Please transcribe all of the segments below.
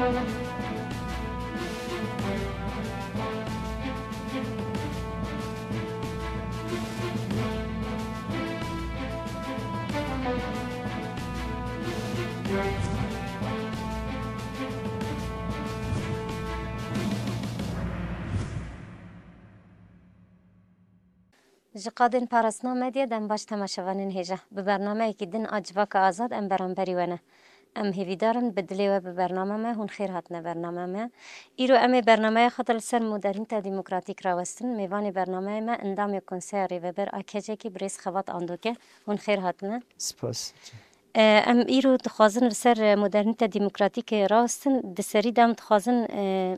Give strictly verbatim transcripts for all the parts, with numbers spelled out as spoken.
Ji qadên parastina medyê dem baş temaşevanên hêja. Bi bernameyekî din a Civaka Azad em beramberî we ne. Em hêvîdar in bi dilê we bi bername me, hûn xêr hatine bername me. Îro em ê bernameya xwe de li ser modernîte demokratîk rawestin. Mêvanê bernameyê me endamê Konseya Rêveber a KCK'ê birêz Xebat Andoke, hûn xêr hatine. Spas. E, em îro dixwazin li ser modernîte demokratîkê rawestin. Di serî de em dixwazin, e,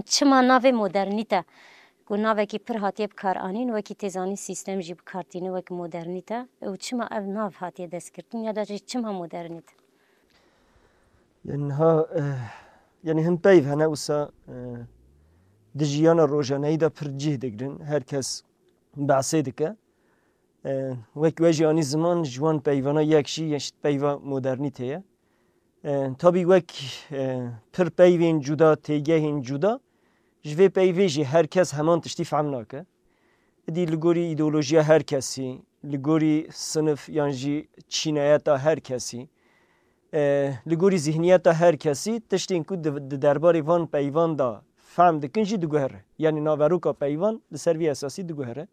çima navê modernîte, ku navekî pir hatiye bi kar anîn, wekî tê zanîn sîstem jî bi kar tîne wek modernîte, û çima ev nav hatiye destgirtin ya da jî çima modernîte? Yani niha, e, yani hin peyv hene wisa, e, di jiyana rojaneyî de pir cih digirin. Her kes behsê dike. E, wek we jî anî ziman ji wan peyvana yek jî yeşt peyva modernîte ye. E, tabî wek, e, pir peyvên cuda, têgehên cuda, ji vê peyvê jî her kes heman tiştî fehm nake. Îdî li gorî îdeolojiya her kesî, li gorî sinif yan jî çîneyeta her kesî, e, li gorî zihniyeta her kesî tiştên ku di, di derbarê van peyvan de fehm dikin jî diguhere. Yanî naveroka peyvan li ser vî esasî diguhere.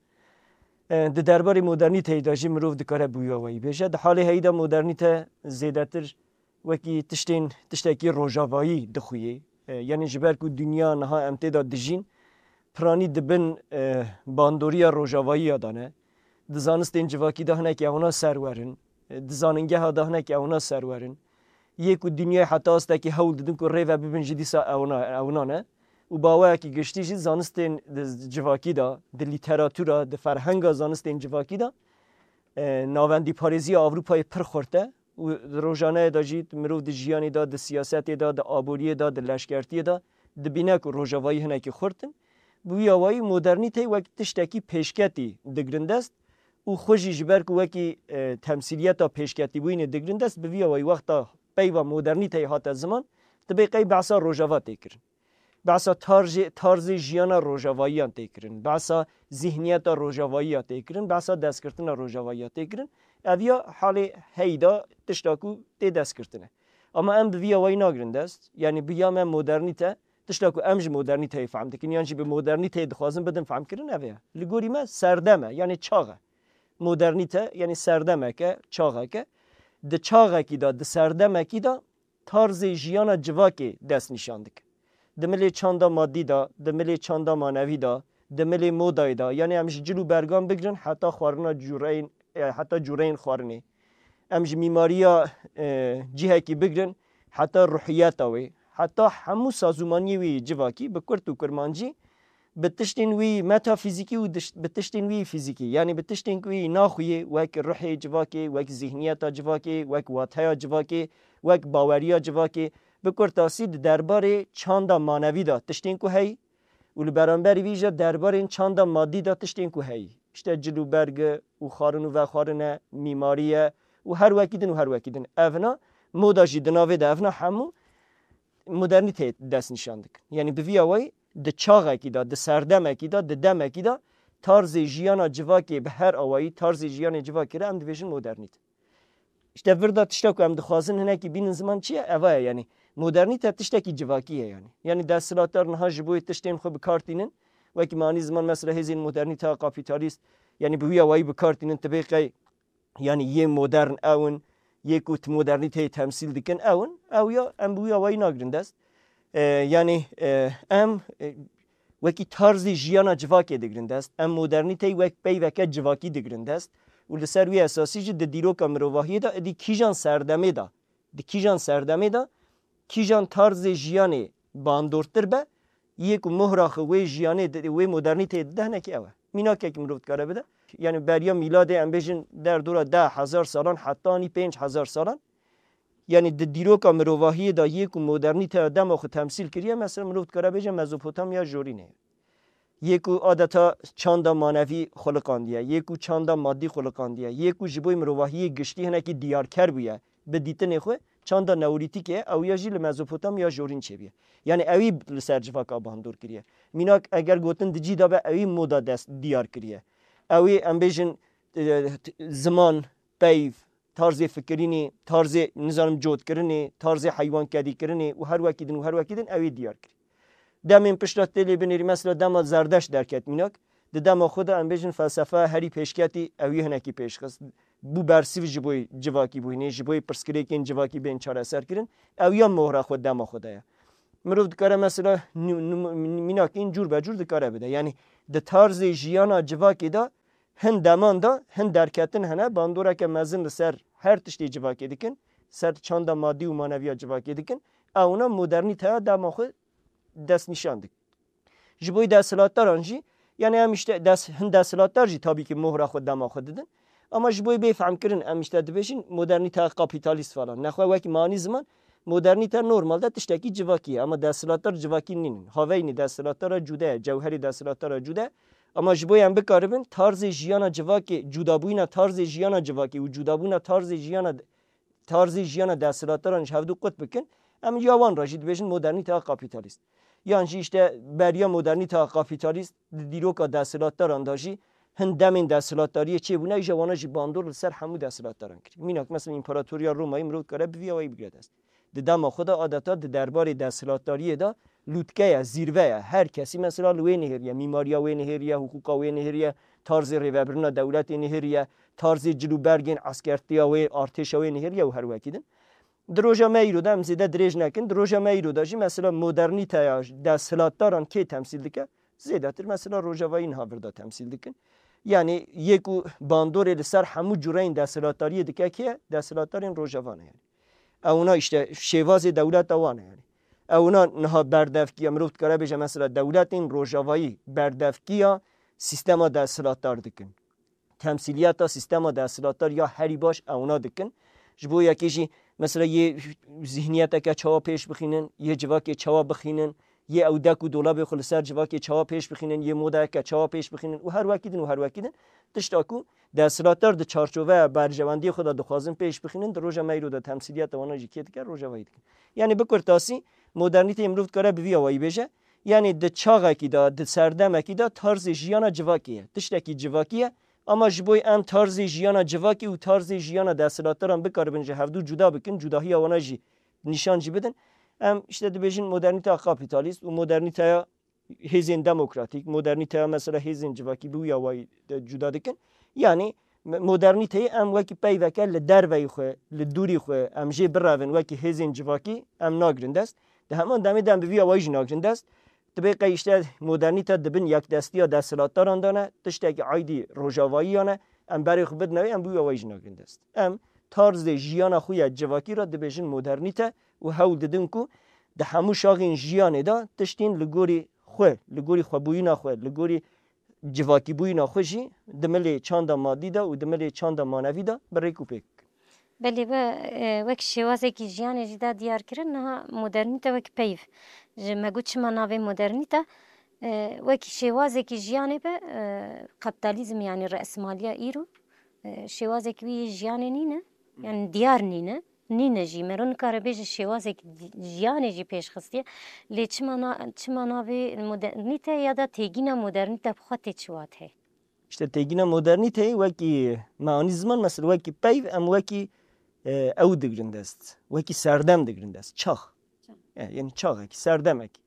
E, di derbarê modernîteyê de jî mirov dikare bi wî awayî bêje. Di halê heyî de modernîte zêdetir wekî tiştên, tiştekî rojavayî dixuyê. E, yanî ji ber ku dinya niha em tê de dijîn, piranî di bin, e, bandoriya rojavayiya de ne. Di zanistên civakî de hinek ewna serwer in. E, di zanîngeha de hinek ewna serwer in. Yê ku dinyayê heta astekî hewl didin ku rê ve bibin jî dîsa ewna, ewna ne. Û bi awayekî giştî jî zanistên di civakî de, di lîteratura, di ferhenga zanistên civakî de, e, navendîparêziya Ewropayê pir xurt e û di rojaneyê de jî mirov di jiyanê de, di siyasetê de, di aboriyê de, di leşkertiyê de dibîne ku rojavayî hinekî xurt in. Bi wî awayî modernîteyê wek tiştekî pêşketî digirin dest û xwe jî ji ber ku wekî, e, temsîliyeta pêşketîbûyînê digirin dest, bi vî awayî wexta peyva modernîteyê hate ziman, dibê qey behsa rojava tê kirin. Behsa tarzê, tarzê jiyana rojavayiyan tê kirin. Behsa zihniyeta rojavayiya tê kirin. Behsa destkirtina rojavayiya tê kirin. Ev ya halê heyî de tişta ku tê destkirtine. Ama em bi vî awayî nagirin dest. Yanî bi ya me modernîte, tişta ku em ji modernîteyê fehm dikin, yan jî bi modernîteyê dixwazin bidin fehmkirin, ev e. Li gorî me serdem e, yanî çax e. Modernîte, yanî serdemek e, çaxek e. Di çaxekî de, di serdemekî de tarzê jiyana civakê dest nîşan dike. Di milê çanda madî de, di milê çanda manevî de, di milê modayê de, yanî em ji cil û bergan bigirin heta xwarina cûreyên, e, heta cûreyên xwarinê. Em ji mîmariya, e, cihekî bigirin heta ruhiyeta wê, heta hemû sazûmaniyê wê yê civakî, bi kurt û kurmancî, bi tiştên wî metafîzîkî û diş-, bi tiştên wî fîzîkî, yanî bi tiştên ku wî naxuyê, wek ruhê civakê, wek zihniyeta civakê, wek wateya civakê, wek baweriya civakê, bi kurtasî di derbarê çanda manevî de tiştên ku heyî û li beramberî vî jî derbarên çanda madî de tiştên ku heyî. İşte cil û berg û xwarin û vexwarine, mîmarî ye û her wekî din û her wekî din. Evna moda jî di navê de evna hemû modernîteyê dest nîşan dikin. Yanî bi vî awayî di çaxekî de, di serdemekî de, di demekî de tarzê jiyana civakê bi her awayî, tarzê jiyanê civakê re em dibêjin modernîte. Îşte vir de tişta ku em dixwazin hinekî bînin ziman çi ye? Eva ye, yanî modernîte tiştekî civakî ye yanî. Yanî desthilatdar niha ji bo tiştên xwe bi kar tînin, wekî me anî ziman mesela hêzên modernîteya kapîtalîst, yanî bi wî awayî bi kar tînin, tibê qey yanî yê modern ew in, yê ku ti modernîteyê temsîl dikin ew in, ew ya em bi wî awayî nagirin dest. E, yanî, e, em, e, wekî tarzê jiyana civakê digirin dest, em modernîteyê wek peyveke civakî digirin dest û li ser wî esasî jî di dîroka mirovahiyê de êdî kîjan serdemê de, di kîjan serdemê de, kîjan tarzê jiyanê bandortir be, yê ku mohra xwe wê jiyanê di, wê modernîteyê dide hinekî ew e. Mînakekî mirov dikare bide. Yanî beriya mîladê em bêjin derdora deh hezar salan heta anî pênc hezar salan. Yanî di dîroka mirovahiyê de yê ku modernîteya dema xwe temsîl kiriye, mesela mirov dikare bêje Mezopotamya jorînê ye. Yê ku adeta çanda manevî xuliqandiye, yê ku çanda madî xuliqandiye, yê ku ji bo mirovahiyê giştî hinekî diyarker bûye bi dîtinê xwe, çanda neolîtîkê ye, ew ya jî li Mezopotamya jorîn çêbûye. Yani ewî li ser civaka bandor kiriye. Mînak eger gotin di cî de be, ewî moda dest diyar kiriye. Ewî em bêjin, e, t-, ziman, peyv, tarzê fikirînê, tarzê, nizanim, cotkirinê, tarzê heywankedîkirinê û her wekî din û her wekî din ewî diyar kiriye. Demên pişta tê lê binêrî, mesela dema Zerdeşt derket mînak, di dema xwe de em bêjin felsefe herî pêşketî ewî hinekî pêşxist. Bû bersîv ji bo civakî bûyînê, ji bo pirsgirêkên civakî bên çareser kirin. Ew ya mohra xwe dema xwe de ye. Mirov dikare mesela nû-, nû-, mînakên cûr be cûr dikare bide. Yani di tarzê jiyana civakê de hin deman de hin derketin hene, bandoreke mezin li ser her tiştê civakê dikin, ser çanda madî û maneviya civakê dikin. Ewna modernîteya dema xwe destnîşan dikin. Ji bo deshilatdaran jî, yani em işte des-, hin deshilatdar jî tabii ki mohra xwe dema xwe didin. Ama ji bo bê fehmkirin em işte dibêjin modernîteya kapîtalîst falan. Nexwe wekî manî ziman modernîte normalde tiştekî civakî ye. Ama deshilatdar civakî nînin. Haveynî deshilatdara cude ye, cewherî deshilatdara cude ye. Ama ji bo em bikaribin tarzê jiyana civakê, cudabûyîna tarzê jiyana civakê û cudabûna tarzê jiyana tarzê jiyana deshilatdaran ji hevdu qut bikin, em ya wan re jî dibêjin modernîteya kapîtalîst. Yan jî işte beriya modernîteya kapîtalîst di dîroka deshilatdaran de jî hin demên deshilatdariyê çêbûne, îja wana jî bandor li ser hemû deshilatdaran kiriye. Mînak, mesela, împaratoriya Romayê mirov dikare bi vî awayî bigire dest. Di dema xwe de adeta di derbarê deshilatdariyê de lûtke ye, zîrve ye. Her kesî mesela li wê nihêriye, mîmariya wê nihêriye, hiqûqa wê nihêriye, tarzê rêvebirina dewletê nihêriye, tarzê cil û bergên eskertiya wê, artêşa wê nihêriye û her wekî din. Di roja me îro de, em zêde dirêj nekin, di roja me îro de jî mesela modernîteya deshilatdaran kê temsîl dike? Zêdetir mesela Rojavayî niha vir de temsîl dikin. Yani yê ku bandorê li ser hemû cureyên deshilatdariyê dike kê ye? Deshilatdarên Rojava ne yani. Ewna işte şêvazê dewleta wan e yani. Ewna niha berdevkiya, mirov dikare bêje mesela dewletên Rojavayî berdevkiya sîstema deshilatdar dikin. Temsîliyeta sîstema deshilatdar ya herî baş ewna dikin. Ji bo yekê jî mesela yê zihniyeteke çawa pêş bixînin, yê civakê çawa bixînin, yê ew dek û dolabê xwe li ser civakê çawa pêş bixînin, yê modayeke çawa pêş bixînin û her wekî din û her wekî din. Tişta ku deshilatdar di çarçoveya berjewendiyê xwe de dixwazin pêş bixînin, di roja me îro de temsîliyeta wana jî kê dike, Rojavayî dikin. Yani bi kurtasî, modernîteyê mirov dikare bi vî awayî bêje, yani di çaxekî de, di serdemekî de tarzê jiyana civakê ye. Tiştekî civakî ye, ama ji bo em tarzê jiyana civakê û tarzê jiyana deshilatdaran bikaribin ji hevdu cuda bikin, cudahiya wana jî nîşan jî bidin, em işte dibêjin modernîteya kapîtalîst û modernîteya hêzên demokratîk, modernîteya mesela hêzên civakî bi wî awayî de cuda dikin. Yani me-, modernîteyê em wekî peyveke li derveyî xwe, li dûrî xwe, em jê birevin wekî hêzên civakî em nagirin dest. Di heman demê de em bi vî awayî jî nagirin dest. Dibê qey işte modernîte di bin yekdestiya desthilatdaran de ne, tiştekî aydî rojavayiya ne, em berê xwe bidine wê, em bi wî awayî jî nagirin dest. Em tarzê jiyana xwe ya civakî re dibêjin modernîte û hewl didin ku di hemû şaxên jiyanê de tiştên li gorî xwe, li gorî xwebûyîna xwe, li gorî civakîbûyîna xwe jî di milê çanda madî de û di milê çanda manevî de bi rêk û pêk bikin. Belê, we, e, wek şêwazekî jiyanê jî da diyar kirin, niha modernîte wek peyv. Ji me got çima navê modernîte, e, wekî şêwazekî jiyanê be, e, kapitalizm, yani resimaliya îro, e, şêwazekî wî yê jiyanê nîne, yani diyar nîne, nîne jî. Mero nikare bêje şêwazekî di-, jiyanê jî pêş xistiye. Lê çima na-, çima navê modernîte ya da têgîna modernîte bi xwe tê çi wat heye? İşte têgîna modernîteyê wekî meanî ziman, mesela wekî peyv, em wekî, e, ew digirin dest. Wekî serdem digirin dest. Çax. Çax. E, yani çaxekî, serdemekî.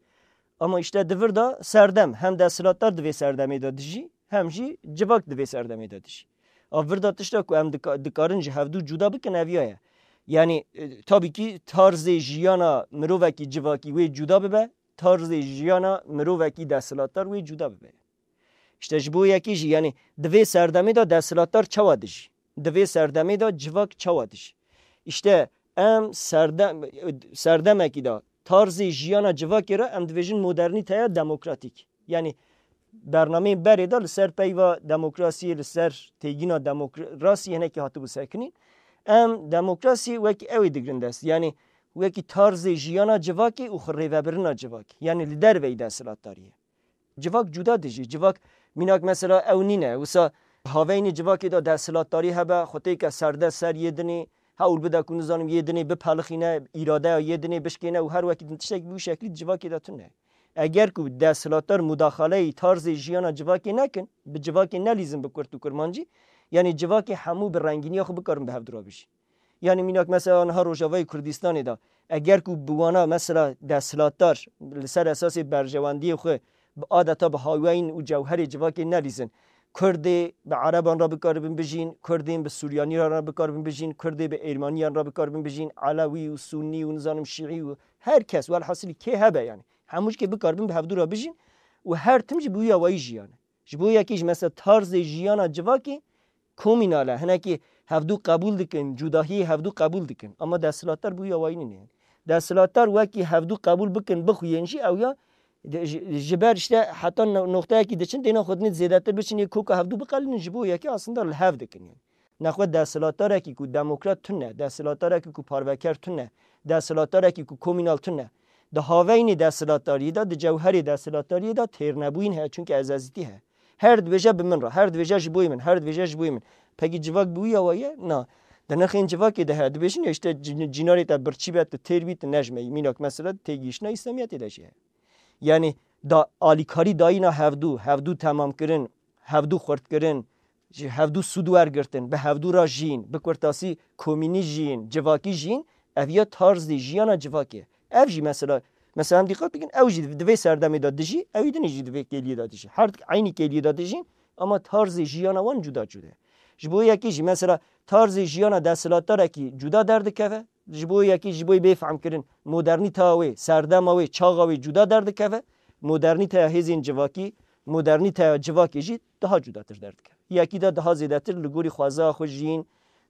Ama işte di vir de serdem, hem desthilatdar di vê serdemê de dijî, hem jî civak di vê serdemê de dijî. A vir de tişta ku em dika-, dikarin ji hevdû cuda bikin, ev ya ye. Yani, e, tabii ki tarzê jiyana mirovekî civakî wê cuda bibe, tarzê jiyana mirovekî desthilatdar wê cuda bibe. İşte ji bo yekê jî, yani di vê serdemê de desthilatdar çawa dijî? Di vê serdemê de civak çawa dijî? İşte em serdem-, serdemekî de tarzê jiyana civakê re em dibêjin modernîteya demokratîk. Yani bernameyên berê de li ser peyva demokrasiyê, li ser têgîna demokrasiyê hinekî hatibû sekinîn. Em demokrasiyê wekî ew ê digirin dest. Yani wekî tarzê jiyana civakê û xwe rêvebirina civakê. Yani li derveyî desthilatdariyê. Civak cuda dijî. Civak mînak mesela ew nîne. Wisa haveynê civakê de desthilatdarî hebe, xwe têke serde ser yê dinê, hewl bide ku nizanim yê dinê bipelixîne, îradeya yê dinê bişkêne û her wekî din tiştekî bi wî şeklî di civakê de tune. Eger ku desthilatdar mudaxaleyî tarzê jiyana civakê nekin, bi civakê nelîzin bi kurt û kurmancî, yanî civakê hemû bi rengîniya xwe bikarin bi hevdû re bijîn. Yanî mînak mesela niha Rojavayê Kurdistanê de, eger ku bi wana mesela desthilatdar li ser esasê berjewendiyê xwe bi adeta bi hawayîn û cewherê civakê nelîzin, Kurdê bi Ereban re bikaribin bijîn, Kurdên bi Suryanî re bikaribin bijîn, Kurdê bi Êrmaniyan re bikaribin bijîn, Elewî û Sunnî û nizanim Şîî û her kes, welhasilî kê hebe yanî. Hemû jikê bikaribin bi hevdû re bijîn û her tim jî bi wî awayî jiyane. Ji bo yekê jî mesela tarzê jiyana civakê komînal e. Hinekî hevdû qebûl dikin, cudahiyê hevdû qebûl dikin. Ama desthilatdar bi wî awayî nîne. Desthilatdar wekî hevdû qebûl bikin, bixuyên jî ew ya ji, ji ber işte heta no-, noqteyekî diçin, têna xwe dinê zêdetir biçin, yê koka hevdû biqelînin, ji bo yekê aslında li hev dikin yani. Nexwe desthilatdarekî ku demokrat tune, desthilatdarekî ku parveker tune, desthilatdarekî ku komînal tune. Di haveynê desthilatdariyê de, di cewherê desthilatdariyê de têrnebûyîn heye, çunke ezazîtî heye. Her dibêje bi min re, her dibêje ji boyê min, her dibêje ji boyê min. Pekî civak bi wî awa ye? Na. Di nirxên civakê de heye. Dibêjin ya işte cin-, cînarê te birçî be, tu têr bî, tu nejmeyî. Mînak mesela têgihiştina Îslamiyetê de jî heye. Yanî da alîkarî dayîna hevdû, hevdû temamkirin, hevdû xurtkirin, ji hevdû sûd wergirtin, bi hevdû re jiyîn, bi kurtasî komînî jiyîn, civakî jiyîn, ev ya tarzê jiyana civakê. Ev jî mesela, mesela em dîqat bikin, ew jî di vê serdemê de dijî, ewî dinê jî di vê kêliyê de dijî. Her eynî kêliyê de dijîn, ama tarzê jiyana wan cuda cuda ye. Ji bo yekê jî mesela tarzê jiyana desthilatdarekî cuda derdikeve, ji bo yekê ji bo bê fehmkirin modernîteya wê, serdema wê, çaxa wê cuda derdikeve, modernîteya hêzên civakî, modernîteya civakê jî daha cudatir derdikeve. Yekî de daha zêdetir li gorî xwezaya xwe jiyîn,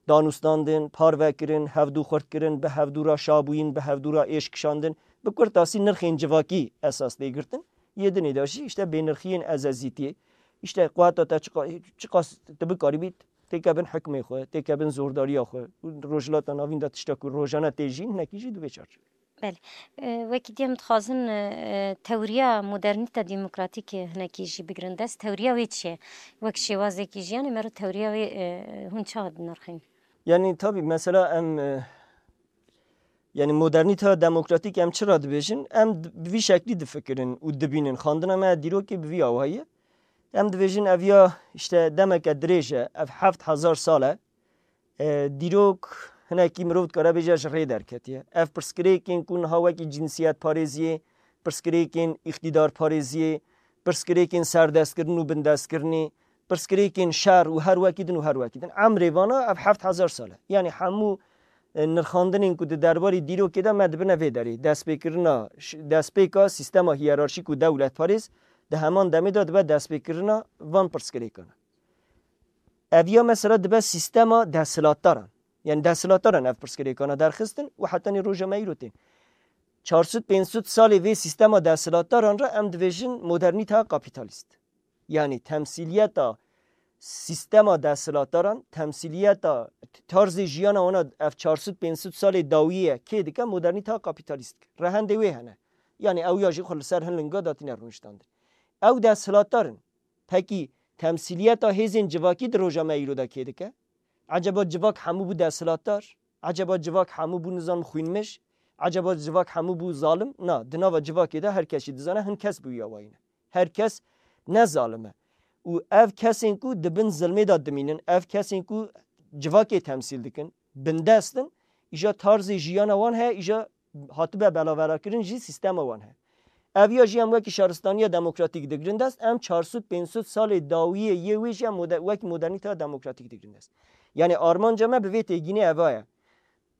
danûstandin, parvekirin, hevdû xurtkirin, bi hevdû re şabûyîn, bi hevdû re êş kişandin, bi kurtasî nirxên civakî esas tê girtin. Yê dinê de jî işte bênirxiyên ezezîtiyê, işte quweta te çiqa-, çiqas tu bikarîbî têke bin hikmê xwe, têke bin zordariya xwe. Û Rojhilata Navîn de tişta ku rojane tê jîn, hinekî jî di vê çarçovê. Belê. E, wekî dî em dixwazin, e, tewriya modernîte demokratîk hinekî jî bigirin dest. Tewriya wê çi ye? Wek şêwazekî jiyanê me re tewriya wê, e, hûn çawa dinirxîn? Yanî tabî mesela em, e, yanî modernîteya demokratîk em çira dibêjin? Em d-, bi vî şeklî difikirin û dibînin. Xandina me ya dîrokê bi vî awayî ye. Em dibêjin ev ya işte demeke dirêj e, ev heft hezar sal e. E, dîrok hinekî mirov dikare bêje ji rê derketiye. Ev pirsgirêkên ku niha wekî cinsiyetparêziyê, pirsgirêkên îqtîdarparêziyê, pirsgirêkên serdestkirin û bindestkirinê, pirsgirêkên şer û her wekî din û her wekî din. Emrê vana ev heft hezar sal e. Yanî hemû, e, nirxandinên ku di derbarê dîrokê de me dibine vê derê. Destpêkirina, ş-, destpêka sîstema hiyerarşîk û dewletparêz di heman demê de dibe destpêkirina van pirsgirêkan. Ev ya mesela dibe sîstema desthilatdaran. Yanî desthilatdaran ev pirsgirêkana derxistin û hetanî roja me îro tên. Çar sed pênc sed salê vê sîstema desthilatdaran re em dibêjin modernîteya kapîtalîst. Yanî temsîliyeta sîstema desthilatdaran, temsîliyeta tarzê jiyana wana ev çar sed pênc sed salê dawiyê ye, kê dike modernîteya kapîtalîst dike. Rehendê wê hene. Yanî ew ya jî xwe li ser hin linga datîne rûniştandin. Ew desthilatdar in. Pekî temsîliyeta hêzên civakî di roja me îro de kê dike? Eceba civak hemû bû desthilatdar? Eceba civak hemû bû nizam xwînmij? Eceba civak hemû bû zalim? Na, di nava civakê de her kes jî dizane hin kes bi wî awayî ne. Her kes ne zalim e. Û ev kesên ku di bin zilmê de dimînin, ev kesên ku civakê temsîl dikin, bindest in, îja tarzê jiyana wan heye, îja hatibe belaverakirin jî sîstema wan heye. Ev ya jî em wekî şaristaniya demokratîk digirin dest, em çar sed pênc sed salê dawiyê yê wê jî em mode-, wekî modernîteya demokratîk digirin dest. Yanî armanca me bi vê têgînê eva ye.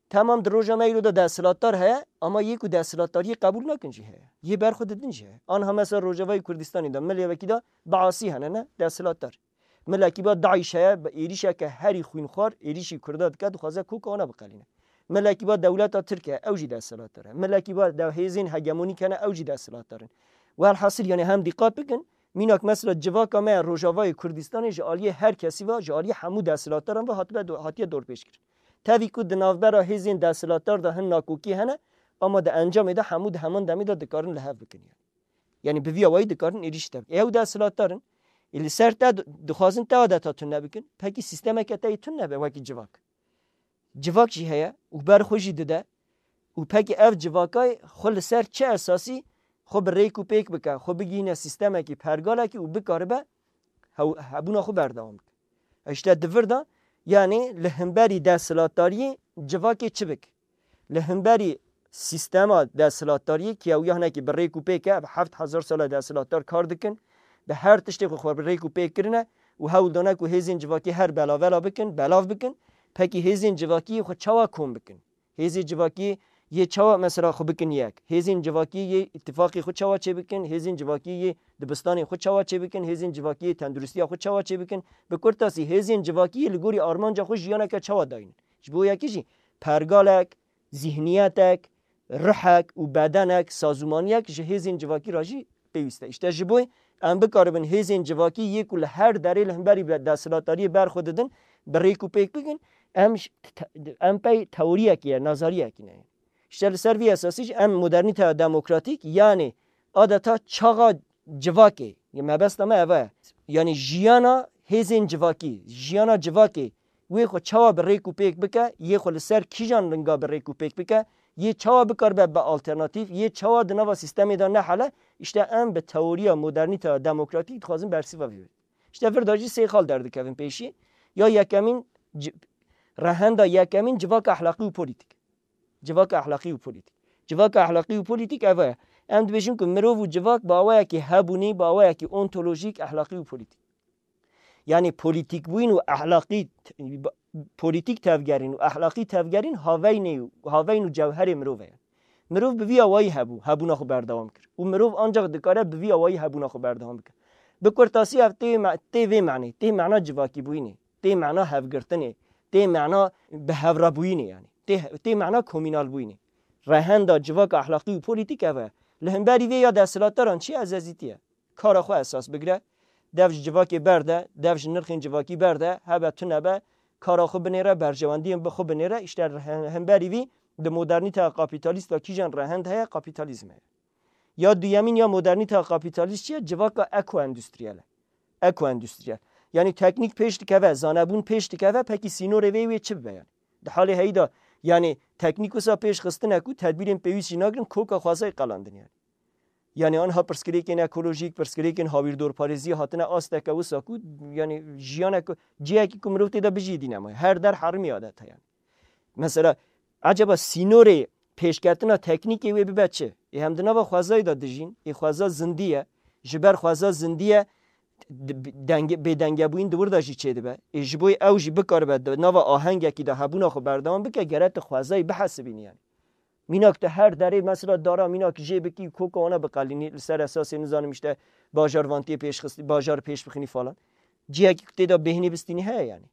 Temam di roja me îro de desthilatdar heye, ama yê ku desthilatdariyê qebûl nakin jî heye. Yê berxwe didin jî heye. Anha mesela Rojavayê Kurdistanê de milê wekî de Baasî hene ne, desthilatdar. Milekî ba DAIŞ heye, bi êrîşeke herî xwînxwar êrîşî Kurda dike, dixwaze koka wana biqelîne. Milekî ba dewleta Tirk e, ew jî desthilatdar e. Milekî ba dew hêzên hegemonîk hene, ew jî desthilatdar in. Welhasil, yanî hem dîqat bikin, mînak mesela civaka me ya Rojavayê Kurdistanê ji aliyê her kesî ve, ji aliyê hemû desthilatdaran ve hatibe do-, hatiye dorpêçkirin. Tevî ku di navbera hêzên desthilatdar de hin nakokî hene, ama di encamê de hemû di heman demê de dikarin li hev bikin. Yanî bi vî awayî dikarin êrîş tevî. Ew desthilatdar in. Ê li ser te di-, dixwazin te adeta tune bikin. Pekî sîstemeke te yê tune be wekî civak. civak jî heye û ber xwe jî dide û pekî ev civakay xwe li ser çi esasî xwe bi rêk û pêk bike, xwe bigihîne sîstemekî, pergalekî û bikaribe hew-, hebûna xwe berdewam bike. Îşte di vir de, yanî li hemberî desthilatdariyê civakê çi bik? Li hemberî sîstema desthilatdariyê, ki ew ya hinekî bi rêk û pêk e, bi heft hezar sal e desthilatdar kar dikin, bi her tiştê xwe xwe bi rêk û pêk kirine û hewl dane ku hêzên civakî her belavela bikin, belav bikin, pekî hêzên civakî xwe çawa kom bikin? Hêzên civakî yê çawa mesela xwe bikin yek? Hêzên civakî yê îtîfaqê xwe çawa çêbikin? Hêzên civakî yê dibistanê xwe çawa çêbikin? Hêzên civakî yê tenduristiya xwe çawa çêbikin? Bi kurtasî, hêzên civakî yê li gorî armanca xwe jiyaneke çawa dayînin? Ji bo yekî jî pergalek, zîhniyetek, ruhek û bedenek, sazûmaniyek ji hêzên civakî re jî pêwîst e. Îşte ji bo em bikaribin hêzên civakî yê ku li her derê li hemberî be-, desthilatdariyê ber xwe didin, bi rêk û pêk bikin, em ji te-, em pey teoriyekê ye, nazariyekî ne. Îşte li ser vî esasî jî em modernîteya demokratîk, yanî adeta çaxa civakê, ya mebesta me eva ye. Yanî jiyana hêzên civakî, jiyana civakê wê xwe çawa bi rêk û pêk bike, yê xwe li ser kîjan linga bi rêk û pêk bike, yê çawa bikaribe be alternatîf, yê çawa di nava sîstemê de nehele, îşte em bi teoriya modernîteya demokratîk dixwazin bersîva vê. Îşte vir de jî sê xal derdikevin pêşî. Ya yekemîn, ci-, rehenda yekemîn civaka ehlaqî û polîtîk. Civaka ehlaqî û polîtîk. Civaka ehlaqî û polîtîk ev e. Em dibêjin ku mirov û civak bi awayekî hebûnî, bi awayekî ontolojîk, ehlaqî û polîtîk. Yanî polîtîkbûyîn û ehlaqî, polîtîk tevgerîn û ehlaqî tevgerîn haveynê, haveyn û cewherê mirov e. Mirov bi vî awayî hebû, hebûna xwe berdewam kir. Û mirov ancak dikare bi vî awayî hebûna xwe berdewam bike. Bi kurtasî ev tê me-, tê vê menê, tê mena civakîbûyînê, tê mena hevgirtinê, tê mena bi hev re bûyînê yanî. Tê, tê mena komînal bûyînê. Rehenda civaka ehlaqî û polîtîk ev e. Li hemberî vê ya desthilatdaran çi ezezîtî ye? Kara xwe esas bigire, dev ji civakê berde, dev ji nirxên civakî berde, hebe tune be, kara xwe binêre, berjewendiyên bi xwe binêre, îşte he-, hemberî vî di modernîteya kapîtalîst de kîjan rehend heye, kapîtalîzm heye. Ya duyemîn ya modernîteya kapîtalîst çi ye? Civaka ekoendûstriyel e. Ekoendûstriyel. Yanî teknîk pêş dikeve, zanebûn pêş dikeve, pekî sînorê vê wê çi bibe yanî? Di halê heyî de, yanî teknîk wisa pêş xistine ku tedbîrên pêwîst jî nagirin, koka xwezayê qelandin yanî. Yanî anha pirsgirêkên ekolojîk, pirsgirêkên hawîrdorparêziyê hatine asteke wisa ku, yanî jiyanek, cihekî ku mirov tê de bijî dî nemaye. Her der herimî adeta yanî. Mesela, eceba sînorê pêşketina teknîkê wê bibe çi? Ê hem di nava xwezayê de dijîn, ê xweza zindî ye, ji ber xweza zindî ye, d-, denge-, bêdengebûyîn di wir de jî çêdibe. Ê ji bo ew jî bikaribe di nava ahengekî de hebûna xwe berdewam bike, gere tu xwezayê bihesibînî yanî. Mînak tu her derê mesela dara mînak jê bikî, koka wana biqelînî, li ser esasê nizanim işte bajar vantiyê pêş xistî, bajar pêş bixinî falan. Cihekî ku tê de bêhnî bistînî heye yanî.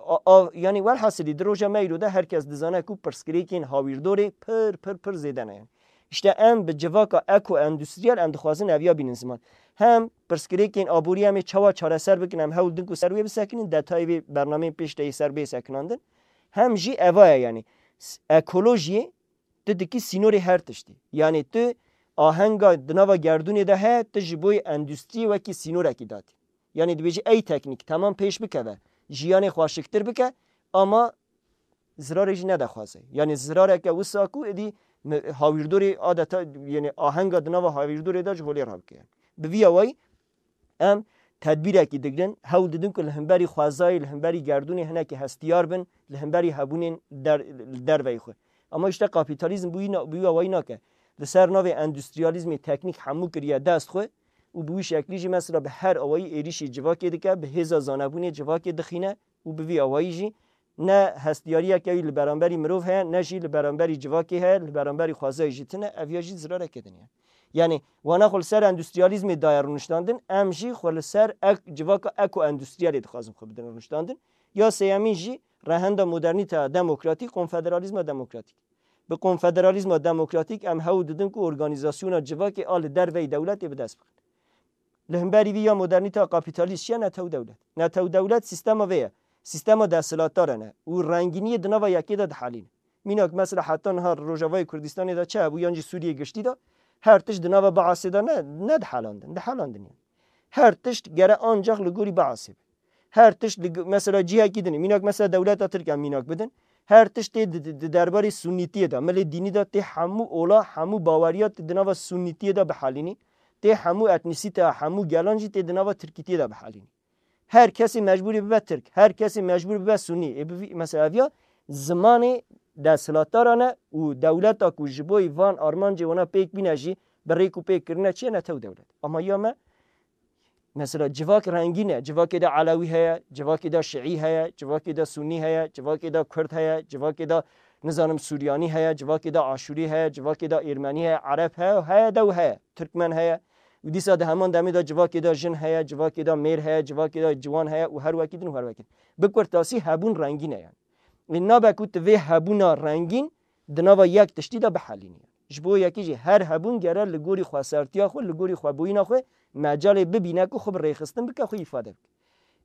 A, a, yanî welhasilî di roja me îro de her kes dizane ku pirsgirêkên hawîrdorê pir, pir, pir zêde ne yanî. Îşte em bi civaka ekoendûstriyel em dixwazin eviya bînin ziman. Hem pirsgirêkên aborî em ê çawa çareser bikin, em hewl din ku ser wê bisekinin, detayê vê bernameyên pêş de yê ser bê sekinandin. Hem jî eva ye yanî. S-, ekolojiyê tu dikî sînorê her tiştî. Yanî tu ahenga di nava gerdûnê de heye, tu ji bo endûstriyê wekî sînorekî datî. Yanî dibêjî ey teknîk temam pêş bikeve, jiyanê xweşiktir bike, ama zirarê jî nede xwezayê. Yanî zirareke wisa ku êdî mi-, hawîrdorê adeta, yanî ahenga di nava hawîrdorê de ji holê rabike. Bi vî awayî em tedbîrekî digirin, hewl didin ku li hemberî xwezayê, li hemberî gerdûnê hinekî hestiyar bin, li hemberî hebûnên der-, li derveyî xwe. Ama îşte kapîtalîzm bi wî na-, bi wî awayî nake. Li ser navê endûstriyalîzmê teknîk hemû kiriye dest xwe û bi wî şeklî jî mesela bi her awayî êrîşî civakê dike, bi hêza zanebûnê civakê dixîne û bi vî awayî jî ne hestiyariyeke wî li beramberî mirov heye, ne jî li beramberî civakê heye, li beramberî xwezayê jî tune, ev ya jî zirareke din e. Yanî, wana xwe li ser endûstriyalîzmê daye rûniştandin, em jî xwe li ser ek-, civaka ekoendûstriyalê dixwazin xwe bidin rûniştandin. Ya sêyemîn jî rehenda modernîteya demokratîk, konfederalîzma demokratîk. Bi konfederalîzma demokratîk em hewl didin ku organîzasyona civakê a li derveyî dewletê bi dest bixin. Li hemberî vî ya modernîteya kapîtalîst çi ye? Netew dewlet. Netew dewlet sîstema vê ye. Sîstema desthilatdar e ne. Û rengîniyê di nava yekê de dihelîne. Mînak mesela heta niha Rojavayê Kurdistanê de çi hebû yan jî Sûriyê giştî de her tişt di nava Baasê de ne, nedihelandin. Dihelandin yani. Her tişt gere ancak li gorî Baasê be. Her tişt li, mesela cihekî din. Mînak mesela dewleta Tirk em mînak bidin. Her tişt tê di, di, di derbarê sunnîtiyê de, milê dînî de tê hemû ola, hemû baweriya tê di nava sunnîtiyê de bihelînî. Tê hemû etnîsîteya hemû gelan jî tê di nava tirkîtiyê de bihelînî. Her kesê mecbûrî bibe tirk, her kesê mecbûr bibe sunnî. Ê bi vî, mesela ev ya zimanê desthilatdaran e û dewleta ku ji bo van armancê wana pêk bîne jî bi rêk û pêk kirine çi ye, netew dewlet. Ama ya me, mesela civak rengîn e. Civakê de Elewî heye, civakê de Şiî heye, civakê de Sunnî heye, civakê de Kurd heye, civakê de nizanim Suryanî heye, civakê de Aşûrî heye, civakê de Êrmenî heye, Ereb heye, heye de û heye, Tirkmen heye. Û dîsa di heman demê de civakê de jin heye, civakê de mêr heye, civakê de ciwan heye û her wekî din û her wekî din. Bi kurtasî hebûn rengîn e yani. Ê nabe ku tu vê hebûna rengîn di nava yek tiştî de bihelînî. Ji bo yekî jî her hebûn gere li gorî xwesertiya xwe, li gorî xwebûyîna xwe mecalê bibîne ku xwe bi rêxistin bike, xwe îfade bike.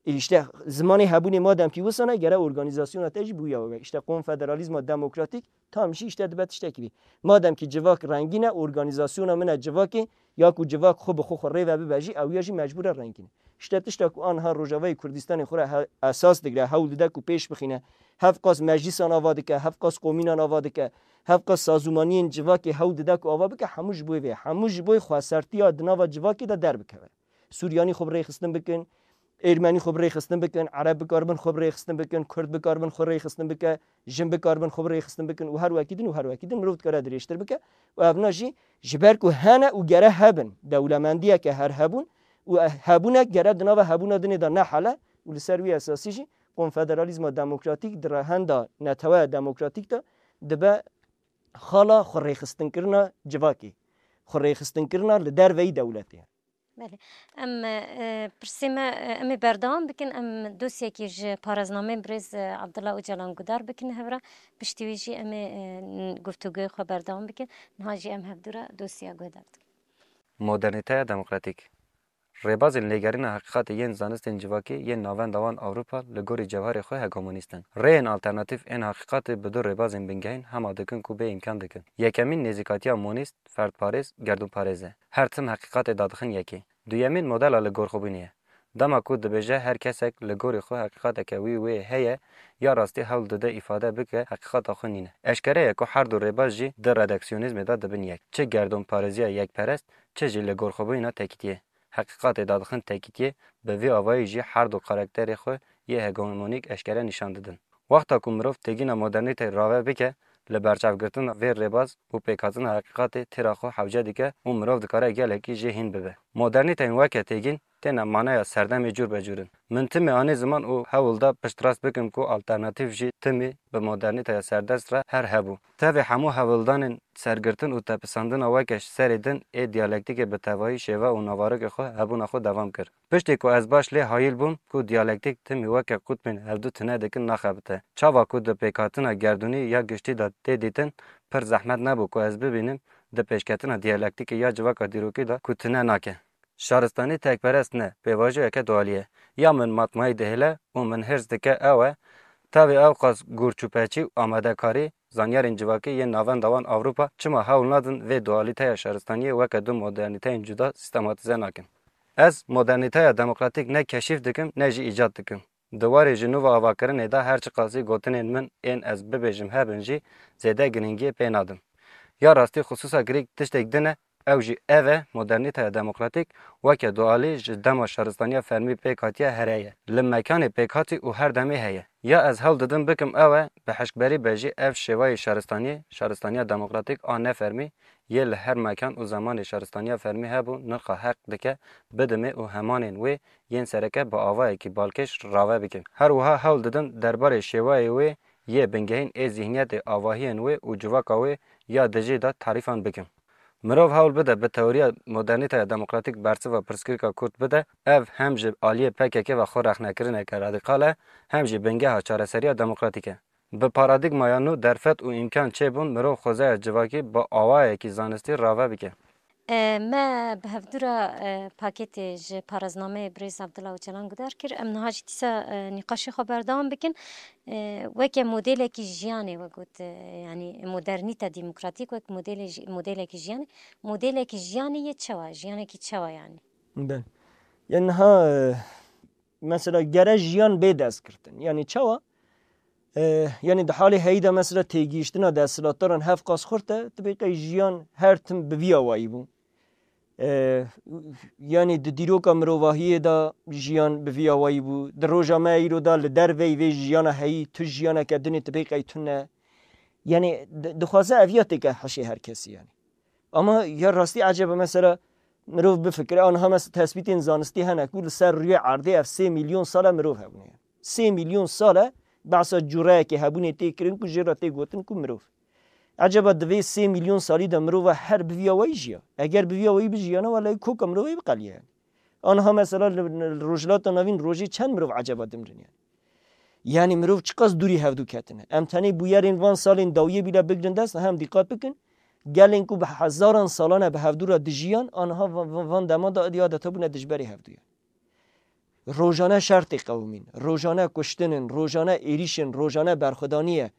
Ê îşte zimanê hebûnê madem kî wisa ne, gere organîzasyona te jî bi wî awê be. Îşte konfederalîzma demokratîk tam jî îşte dibe tiştekî bî. Madem kî civak rengîn e, organîzasyona min e civakê, ya ku civak xwe bi xwe xwe rê ve bibe jî, ew ya jî mecbûr e rengîn e. Îşte tişta ku aniha Rojavayê Kurdistanê xwe re he-, esas digire, hewl dide ku pêş bixîne, hevqas meclîsan ava dike, hevqas komînan ava dike, hevqas sazûmaniyên civakê hewl dide ku ava bike, hemû ji bo vê, hemû ji bo xwesertiya di nava civakê de derbikeve. Suryanî xwe bi rêxistin bikin, Êrmenî xwe bi rêxistin bikin, Ereb bikaribin xwe bi rêxistin bikin, Kurd bikaribin xwe rêxistin bike, jin bikaribin xwe bi rêxistin bikin û her wekî din û her wekî din mirov dikare dirêjtir bike. Û evna jî ji ber ku hene û gere hebin, dewlemendiyeke her hebûn û e-, hebûnek gere di nava hebûna dinê de nehele û li ser wî esasî jî konfederalîzma demokratîk di rehenda neteweya demokratîk de dibe xala xwe rêxistinkirina civakê, xwe rêxistinkirina li derveyî dewletê. Belê. Em, e, pirsê me, e, em ê berdewam bikin. Em dosyekî ji paraznameyê birêz, e, Abdullah Ocalan gudar bikin hev re. Piştî wî jî em ê, e, n-, guftûgoyê xwe berdewam bikin. Niha jî em hevdû re dosya guhdar dikin. Modernîteya demokratîk. Rêbazên lêgerîna heqîqatê yên zanistên civakî yên navenda wan Ewropa li gorî cewherê xwe hegemonîst in. Rêyên alternatîf ên heqîqatê bi du rêbazên bingehîn hema dikin ku bê îmkan dikin. Yekemîn nêzîkatiya monîst, ferdparêz, gerdûnparêz e. Her tim heqîqatê dadixin yekê. Duyemîn modela li gor xwe bûnê ye. Dema ku dibêje her kesek li gorî xwe heqîqateke wî wê heye, ya rastî hewl dide îfade bike heqîqata xwe nîne. Eşkere ye ku her du rêbaz jî di redaksiyonîzmê de dibin yek. Çi gerdûnparêziya yekperest, çi jî li gor xwe bûyîna tekîtiyê. Heqîqatê dadixin tekîtiyê, bi vî awayî jî her du karakterê xwe yê hegemonîk eşkere nîşan didin. Wexta ku mirov têgîna modernîteyê rave bike, li berçavgirtina vê rêbaz û pêkhatina heqîqatê têra xwe hewce dike û mirov dikare gelekî jê hîn bibe. Modernîteyên weke têgîn têne maneya serdemê cûr be cûr in. Min timî anî ziman û hewl da piştrast bikim ku alternatîf jî timî bi modernîteya serdest re her hebû. Tevê hemû hewldanên sergirtin û tepisandina weke serê din ê diyalektîkê bi tevahî şêve û navarokê xwe hebûna xwe devam kir. Piştî ku ez baş lê hayîl bûm ku diyalektîk timî weke qutbên hevdu tune dikin naxebite. Çawa ku di pêkhatina gerdûnî ya giştî de tê dîtin, pir zehmet nebû ku ez bibînim di pêşketina diyalektîkê ya civaka dîrokî de ku tune nake. Şaristanî tekperest ne, pêvajoyeke dualî ye. Ya min matmayî dihêle û min hêrs dike ew e, tevê ewqas gurçûpeçî û amadekarî, zanyarên civakî yên navenda wan Ewropa çima hewl nadin vê dualîteya şaristaniyê weke du modernîteyên cuda sîstematîze nakin? Ez modernîteya demokratîk ne keşîf dikim ne jî îcat dikim. Di warê ji nû ve avakirinê de her çiqasî gotinên min ên ez bibêjim hebin jî zêde girîngiyê pê nadim. Ya rastî xisûsa girîng tiştek din e, ew jî ev e, modernîteya demokratîk weke dualî ji dema şaristaniya fermî pêk hatiye here ye. Li mekanê pêkhatî û her demê heye. Ya ez hewl didim bikim ew e, bi hişkberî be jî ev şêwayê şaristaniyê, şaristaniya demokratîk a nefermî yê li her mekan û zemanê şaristaniya fermî hebû, nirxa heq dike bidimê û hemanên wê yên sereke bi avayekî balkêş rave bikim. Her wiha hewl didim derbarê şêwayê wê yê bingehîn ê zîhniyetê, avahiyên wê û civaka wê ya dijî de tarîfan bikim. Mirov hewl bide bi teoriya modernîteya demokratîk bersiva pirsgirêka kurt bide, ev hem ji aliyê P K K ve xwe rexnekirineke radîkal e, hem jî bingeha çareseriya demokratîk e. Bi paradîgmaya nû derfet û îmkan çêbûn mirov xwezaya civakî bi awayekî zanistî rave bike. E, me bi hevdû re, e, pakêtê ji paraznameyê birêz Abdullah Ocalan gudar kir. Em niha jî dîsa, e, nîqaşê xwe berdewam bikin. E, weke modelekî jiyanê we got, e, yanî modernîte demokratîk wek modelê ji-, modelekî jiyanê, modelekî jiyanê yê çawa? Jiyanekî çawa yanî? Be. Yanî niha, e, mesela gere jiyan bê destgirtin. Yanî çawa? E, yanî di halê heyî de mesela têgihiştina desthilatdaran hevqas xurt e, tibê qey jiyan her tim bi vî awayî bû. E, yanî di dîroka mirovahiyê de jiyan bi vî awayî bû. Di roja me îro de li derveyî vê jiyana heyî tu jiyaneke dinê tibê qey tune. Yanî di-, dixwaze ev ya têke hişê her kesî yanî. Ama ya rastî eceba mesela mirov bifikire, aniha mes-, tespîtên zanistî hene ku li ser rûyê erdê ev sê milyon sal e mirov hebûne. Sê milyon sal e behsa cureyekê hebûnê tê kirin ku jê re tê gotin ku mirov. Eceba di vê sê milyon salî de mirova her bi vî awayî jiya? Eger bi vî awayî bijiyana, welay koka mirovê biqeliye. Aniha mesela li, li Rojhilata Navîn rojê çend mirov eceba dimrin yani? Yanî mirov çiqas dûrî hevdû ketine. Em tenê bûyerên van salên dawiyê bîle bigrin dest, hem dîqat bikin. Gelên ku bi hezaran salan e bi hevdû re dijiyan, aniha va-, va-, van dema de êdî adeta bûne dijberê hevdû ye. Rojane şer tê qewimîn, rojane kuştin in, rojane êrîş in, rojane berxwedanî ye.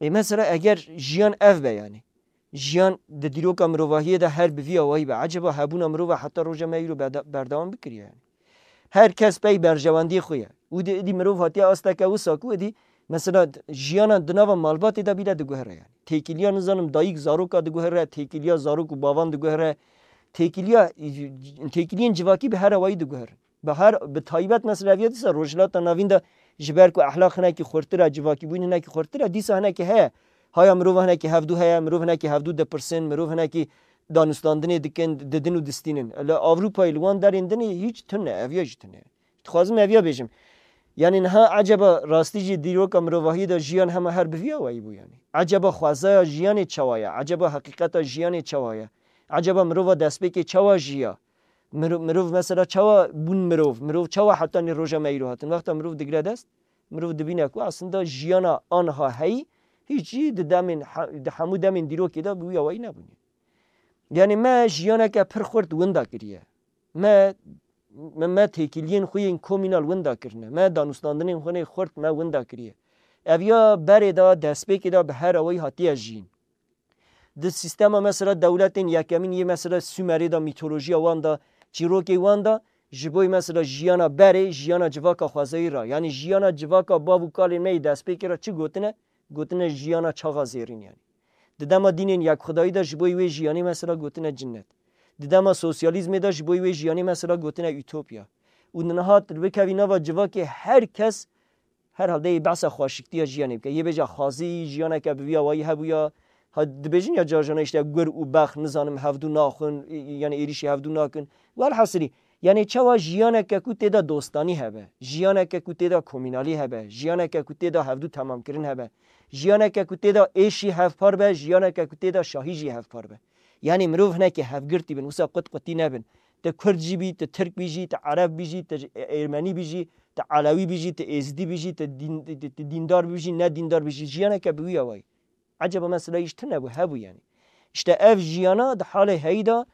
Ê mesela eger jiyan ev be yanî, jiyan di dîroka mirovahiyê de her bi vî awayî be, eceba hebûna mirova heta roja me îro berde-, berdewam bikiriye yanî? Her kes pey berjewendiyê xwe ye. Û di, êdî mirov hatiye asteke wisa ku êdî mesela jiyana di nava malbatê de bîle diguhere yanî. Têkiliya nizanim dayik zaroka diguhere, têkiliya zarok û bavan diguhere, têkiliya, têkiliyên civakî bi her awayî diguherin. Bi her, bi taybet mesela ev ya dîsa Rojhilata Navîn de ji ber ku ehlaq hinekî xurtir e, civakîbûn hinekî xurtir e, dîsa hinekî heye. Haya mirov hinekî hevdû heye, mirov hinekî hevdû dipirsin, mirov hinekî danûstandinê dikin, didin û distînin. Li Ewropayê li wan derên dinê hîç tune, ev ya jî tune. Dixwazim ev ya bêjim. Yanî niha eceba rastî jî dîroka mirovahiyê de jiyan hema her bi vî awayî bû yanî? Eceba xwezaya jiyanê çawa ye? Eceba heqîqeta jiyanê çawa ye? Eceba mirova destpêkê çawa jiya? Miro-, mirov mesela çawa bûn mirov? Mirov çawa hetanî roja me îro hatin? Wexta mirov digre dest, mirov dibîne ku aslında jiyana anha heyî hîç jî di demên he-, di hemû demên dîrokê de bi wî awayî nebûne. Yanî me jiyaneke pir xurt winda kiriye. Me, me, me têkiliyên xwe yên komînal winda kirine. Me danûstandinên xwe yên xurt me winda kiriye. Ev ya berê de, destpêkê de bi her awayî hatiye jiyîn. Di sîstema mesela dewletên yekemîn yê mesela Sumerê de, mîtolojiya wan de, çîrokê wan de, ji bo mesela jiyana berê, jiyana civaka xwezayî re, yanî jiyana civaka bav û kalên me yê destpêkê re çi gotine? Gotine jiyana çaxa zêrîn yanî. Di dema dînên yekxwedayî de ji bo wê jiyanê mesela gotine cinnet. Di dema sosyalîzmê de ji bo wê jiyanê mesela gotine utopya. Û niha tu bikevî nava civakê her kes herhalde yê behsa xweşiktiya jiyanê bike. Yê bêje xwezî, jiyaneke bi vî awayî hebûya. Ha, dibêjin ya carjana işte gur û bex, nizanim hevdû naxwin, yanî êrîşî hevdû nakin. Welhasilî, yanî çawa jiyaneke ku tê de dostanî hebe, jiyaneke ku tê de komînalî hebe, jiyaneke ku tê de hevdû temamkirin hebe, jiyaneke ku tê de êş jî hevpar be, jiyaneke ku tê de şahî jî hevpar be. Yanî mirov hinekî hevgirtî bin, wisa qut qutî nebin. Tu Kurd jî bî, tu Tirk bî jî, tu Ereb bî jî, tu Êrmenî bî jî, tu Elewî bî jî, tu Êzidî bî jî, tu dîn-, tu, tu dîndar bî jî, ne dîndar bî jî, jiyaneke bi wî awayî. Eceba mesela îş tune bû, hebû yanî. İşte ev jiyana di halê heyî de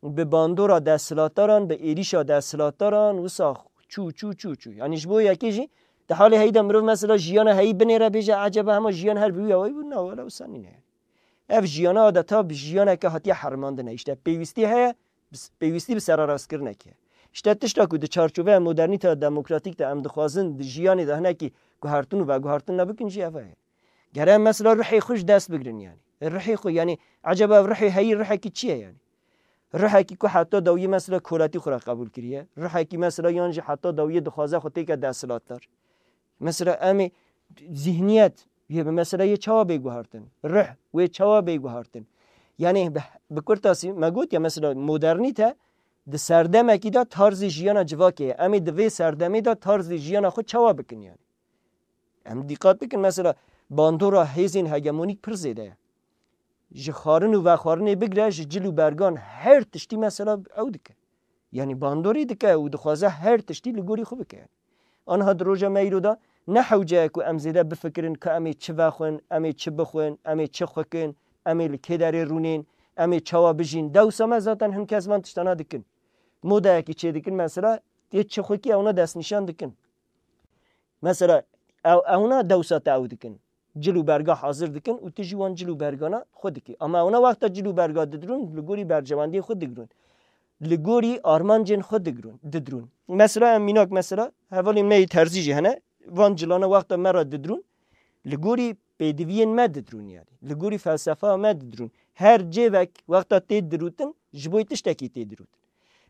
bi bandora desthilatdaran, bi êrîşa desthilatdaran wisa çû, çû, çû, çû. Yanî ji bo yekê jî di halê heyî de mirov mesela jiyana heyî binêre bêje, eceba hema jiyan her bi wî awayî bû? Na, wela wisa nîne. Ev jiyana adeta bi jiyaneke hatiye herimandine. İşte pêwîstî heye, bi s-, pêwîstî bi serarastkirinekê. İşte tişta ku di çarçoveya modernîteya demokratîk de em dixwazin di jiyanê de hinekî guhertin û veguhertin nebikin jî ev e. Gere em mesela ruhê xwe ji dest bigirin yanî. Ruhê xwe yanî ecaba ev ruhê heyî ruhekî çi ye yanî? Ruhekî ku heta dawiyê mesela koletî xwe re qebûl kiriye. Ruhekî mesela yan jî heta dawiyê dixwaze xwe têke desthilatdar. Mesela em ê zihniyet yê bi mesela yê çawa bê guhertin? Ruh wê çawa bê guhertin? Yanî bi, bi kurtasî me gotiye mesela modernîte di serdemekî de tarzê jiyana civakê ye. Em ê di vê serdemê de tarzê jiyana xwe çawa bikin yanî? Em dîqat bikin mesela bandora hêzên hegemonîk pir zêde ye. Ji xwarin û vexwarinê bigre ji cil û bergan her tiştî mesela ew dike. Yanî bandorî dike û dixwaze her tiştî li gorî xwe bike. Aniha di roja me îro de ne hewce ye ku em zêde bifikirin ka em ê çi vexwin, em ê çi bixwin, em ê çi xwekin, em ê li kê derê rûnên, em ê çawa bijîn. Dewsa me zaten hin kes van tiştana dikin. Modayekî çê dikin mesela tê çi xwekî ewna destnîşan dikin. Mesela ew, ewna dewsa te ew dikin. Cil û berga hazir dikin û tu jî wan cil û bergana xwe dikî. Ama ewna wexta cil û berga didrûn, li gorî berjewendiyê xwe digirûn. Li gorî armancên xwe digirûn, didrûn. Mesela em mînak mesela hevalên me yê terzî jî hene. Van cilana wexta me re didrûn, Li gorî pêdiviyên me didirûn yani. Li gorî felsefa me didirûn. Her cêvek wexta tê dirûtin, ji bo tiştekî tê dirûtin.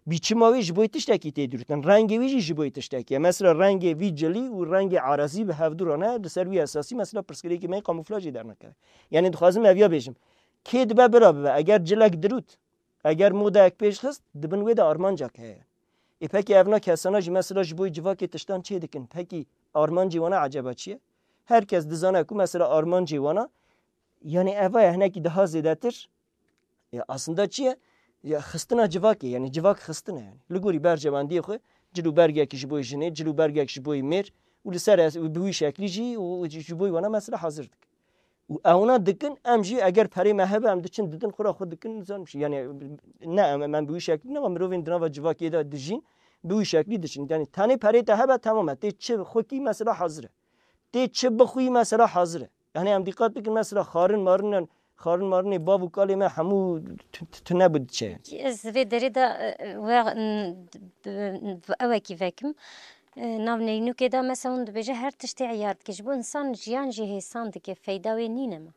Biçima wê ji bo tiştekî tê dirûtin. Rengê wî jî ji bo tiştekî ye. Mesela rengê vî cilî û rengê arazî bi hevdû re ne, li ser wî esasî mesela pirsgirêkê me yê kamûflajê dernakeve. Yani dixwazim ev ya bêjim. Kê dibe bira bibe, eger cilek dirût, eger modayek pêş xist, di bin wê de armancek heye. Ê pekî evna kesana jî mesela ji bo civakê tiştan çê dikin. Pekî armancê wana eceba çi ye? Her kes dizane ku mesela armancê wana, yani eva ye hinekî daha zêdetir. Ya aslında çi ye? Ya xistina civakê, yani civak xistine yani. Li gorî berjewendiyê xwe, cil û bergek ji bo jinê, cil û bergek ji bo mêr û li ser es-, û bi wî şeklî jî û ji bo wana mesela hazir dike. Û ewna dikin, em jî eger perê me hebe, em diçin didin, xwe ra xwe dikin, nizam çi. Yani ne em, em bi wî şeklî ne, mirovên di nava civakê de dijîn, bi wî şeklî diçin. Yani tenê perê te hebe, temam e. Tê çi xwekî mesela hazir e. Tê çi bixwî mesela hazir e. Yani em dîqat bikin mesela xarin marinan, xarin marinê bav û kalê me hemû tu-, tu-, tune bi diçe. Ez vê derê de, e, e, we, n-, d-, d-, ewekî vekim. E, nav neynûkê de mesela hûn dibêje her tiştê eyar dike. Ji bo insan jiyan jî hêsan dike, feyda wê nîne me.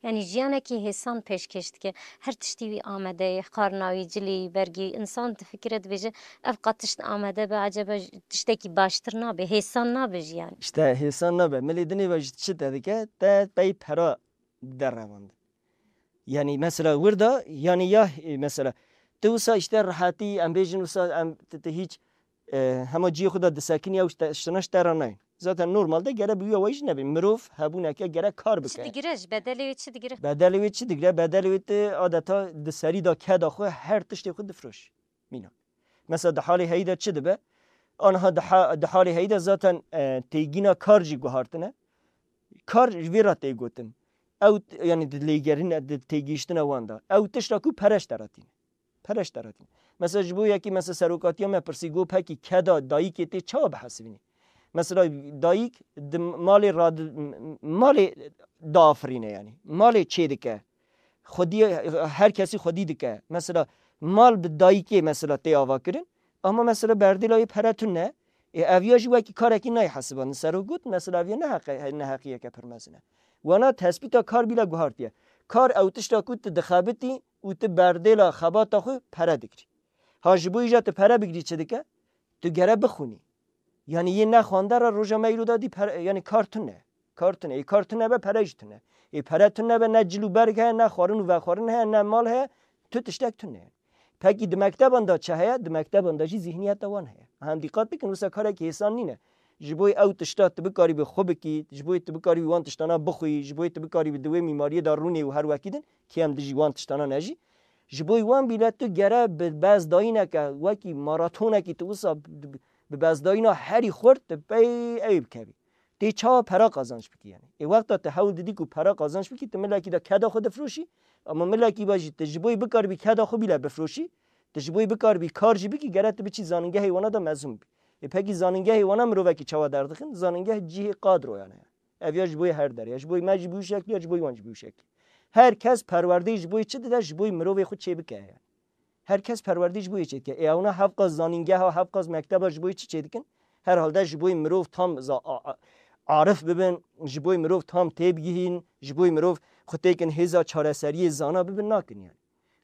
Yani jiyanekî hêsan pêşkêş dike. Her tiştî wî amade ye, xarina wî, cilî, bergî. Însan difikire, dibêje, ev qat tişt amade be, eceba j-, tiştekî baştir nabe, hêsan nabe jiyan. İşte hêsan nabe. Milê dinê ve ji çi te dike? Te pey pera derevandin. Yani mesela wir da, yani ya, e, mesela tu wisa işte rehetî, em bêjin wisa em te, te hiç, e, hema cihê xwe de disekinî ew işte, ştina ji te re nayên. Zaten normalde gere bi wî awayî jî nebin. Mirov hebûneke gere kar bike. Çi digire ji bedelê wê çi digire? Bedelê wê çi digire? Bedelê wê tu adeta di serî de keda xwe her tiştê xwe difroş. Mîna. Mesela di halê heyî de çi dibe? Anha di ha-, di halê heyî de zaten, e, têgîna kar jî guhartine. Kar ji vê re tê gotin. Ew t-, yani di lêgerîne, di têgihiştina wan de. Ew tişta ku pere ji te re tîne. Pere ji te re tîne. Mesela ji bo yekî mesela serokatiya me pirsî got pekî keda dayikê tê çawa bihesibînî? Mesela dayik di malê radi-, malê diafirîne yani. Malê çê dike. Xwedî, her kesî xwedî dike. Mesela mal bi dayikê mesela tê ava kirin. Ama mesela berdêla wê pere tune. Ê ev ya jî wekî karekî nayê hesibandin. Sero got mesela ev ya ne heqe-, ne heqiyeke pir mezin e. Wana tespîta kar bîle guhartiye. Kar ew tişta ku tu dixebitî û tu berdêla xebata xwe pere dikirî. Ha ji bo îja tu pere bigirî çi dike? Tu gere bixwînî. Yani yê nexwande re roja me îro de dî per-, yani kar tune. Kar tune. Ê kar tune be pere jî tune. Ê pere tune be ne cil û berg heye, ne xwarin û vexwarin heye, ne mal heye, tu tiştek tune. Pekî di mekteban de çi heye? Di mekteban de jî zihniyeta wan heye. Hem dîqat bikin, wisa karekî hêsan nîne. Ji bo ew tişta tu bikarî bi xwe bikî, ji bo tu bikarî wan tiştana bixwî, ji bo tu bikarî bi di wê mîmariyê de rûnê û her wekî din, kêm dijî wan tiştana nejî. Ji bo wan bîle tu gere bi bezdayîneke wekî maratonekî tu wisa bi, bi bezdayîna herî xurt tu pey ew bikevî. Tê çawa pera qazanç bikî yani. Ê wexta tu hewl didî ku pera qazanç bikî, tu milekî de keda xwe difroşî, ama milekî ve jî tu ji bo bikaribî keda xwe bîle bifroşî, tu ji bo bikaribî kar jî bikî, gere tu biçî zanîngehê wana de mezûn bî. Ê pekî zanîngehê wana mirovekî çawa derdixin? Zanîngeh cihê kadroyan heye. Ev ya ji bo her derê, ya ji bo me jî bi wî şeklî, ya ji bo wan jî bi wî şeklî. Her kes perwerdeyê ji bo çi dide? Ji bo mirovê xwe çêbike yani. Her kes perwerdê ji bo yê çêdike. Ê ewna hevqas zanîngeha, hevqas mekteba ji bo yê çi çêdikin? Herhalde ji bo mirov tam za-, a-, a-, arif bibin, ji bo mirov tam têbigihîn, ji bo mirov xwe têkin hêza çareseriyê zana bibin, nakin yani.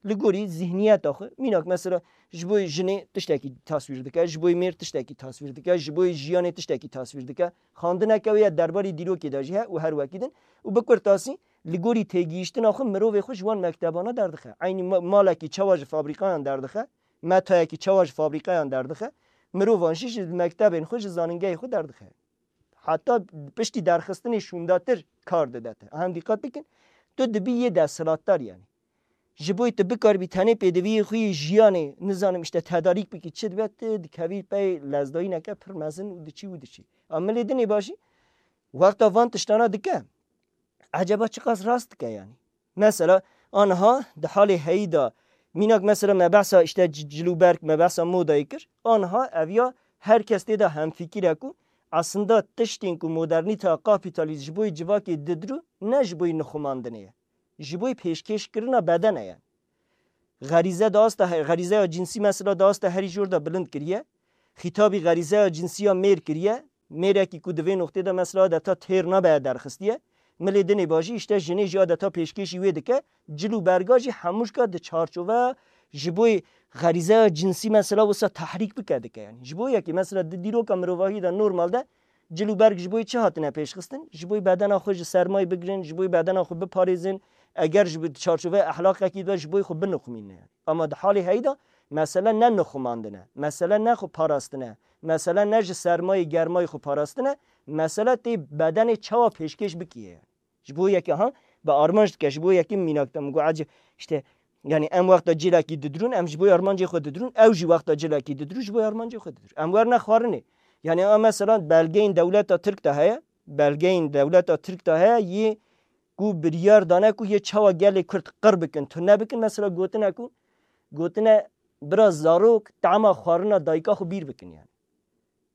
Li gorî zihniyeta xwe, mînak mesela ji bo jinê tiştekî taswîr dike, ji bo mêr tiştekî taswîr dike, ji bo jiyanê tiştekî taswîr dike. Xandineke wê ya derbarê dîrokê de jî he û her wekî din. Û bi kurtasî, li gorî têgihiştina xwe mirovê xwe ji wan mektebana derdixe. Eynî ma-, malekî çawa ji fabrîkayan derdixe, metayekî çawa ji fabrîkayan derdixe, mirovan jî ji mektebên xwe, ji zanîngehê xwe derdixe. Heta piştî derxistinê şûndatir kar dide te. Hem dîqat bikin, tu dibî yê desthilatdar yani. Ji bo tu bikaribî tenê pêdiviyê xwe yê jiyanê, nizanim işte tedarîk bikî çi dibe, tu dikevî pey lezdayîneke pir mezin û diçî û diçî. A milê dinê bajî, wexta van tiştana dike, eceba çiqas rast dike yani? Mesela, anha di halê heyî de, mînak mesela me behsa işte c-, cil û berk, me behsa modayê kir, anha ev ya her kes tê de hemfikir e ku aslında tiştên ku modernîteya kapîtalîst ji bo yê civakê didirû, ne ji bo yê nixumandinê ye. Ji bo yê pêşkêşkirina bedene ye. Xerîze da asta he-, xerîzeya cinsî mesela da asta herî jor de bilind kiriye. Xîtabî xerîzeya cinsî ya mêr kiriye. Mêrekî ku di vê noqtê de mesela adeta têr nabe derxistiye, milê dinê bajî îşte jinê jî adeta pêşkêşî wê dike, cil û berga jî hemûşka di çarçoveya ji bo xerîzeya cinsî mesela wisa tehrîk bike dike. Yani ji bo yekê mesela di dîroka mirovahî de normal de cil û berg ji bo çi hatine pêşxistin? Ji bo bedena xwe ji sermayê bigirin, ji bo bedena xwe biparêzin, eger ji bo çarçoveya ehlaqekî de ji bo xwe binixumîne. Yani. Ama di halê heyî de mesele ne nixumandin e, mesele ne xwe parastin e, mesele ne ji sermayê germayê xwe parastin e, mesele tê bedenê çawa pêşkêş bikiye. Ji bo yekê ha, bi armanc dike, ji bo yekê mînak de min got, ecê, işte, yani em wexta cilekî didirûn, em ji bo armancê xwe didirûn, ew jî wexta cilekî didirû, ji bo armancê xwe didirû. Em werne xwarinê. Yani a mesela belgeyên dewleta Tirk de heye, belgeyên dewleta Tirk de heye, yê ku biryar dane ku yê çawa gelê Kurd qir bikin, tune bikin, mesela gotine ku, gotine bira zarok tema xwarina dayika xwe bîr bikin yani.